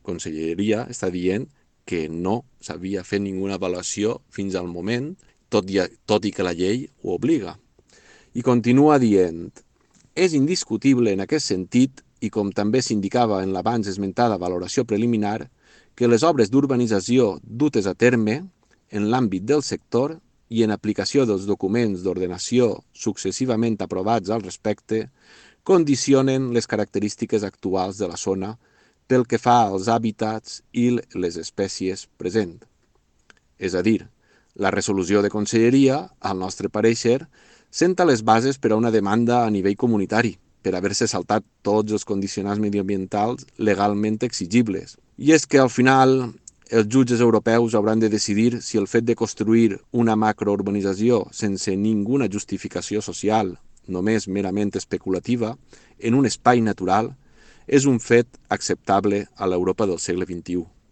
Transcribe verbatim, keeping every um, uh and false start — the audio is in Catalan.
Conselleria està dient que no s'havia fet ninguna avaluació fins al moment, tot i, tot i que la llei ho obliga. I continua dient: és indiscutible en aquest sentit, i com també s'indicava en l'abans esmentada valoració preliminar, que les obres d'urbanització dutes a terme en l'àmbit del sector i en aplicació dels documents d'ordenació successivament aprovats al respecte condicionen les característiques actuals de la zona pel que fa als hàbitats i les espècies presents. És a dir, la resolució de Conselleria, al nostre pareixer, senta les bases per a una demanda a nivell comunitari, per haver-se saltat tots els condicionants mediambientals legalment exigibles. I és que al final els jutges europeus hauran de decidir si el fet de construir una macrourbanització sense ninguna justificació social, només merament especulativa, en un espai natural, és un fet acceptable a l'Europa del segle vint-i-u.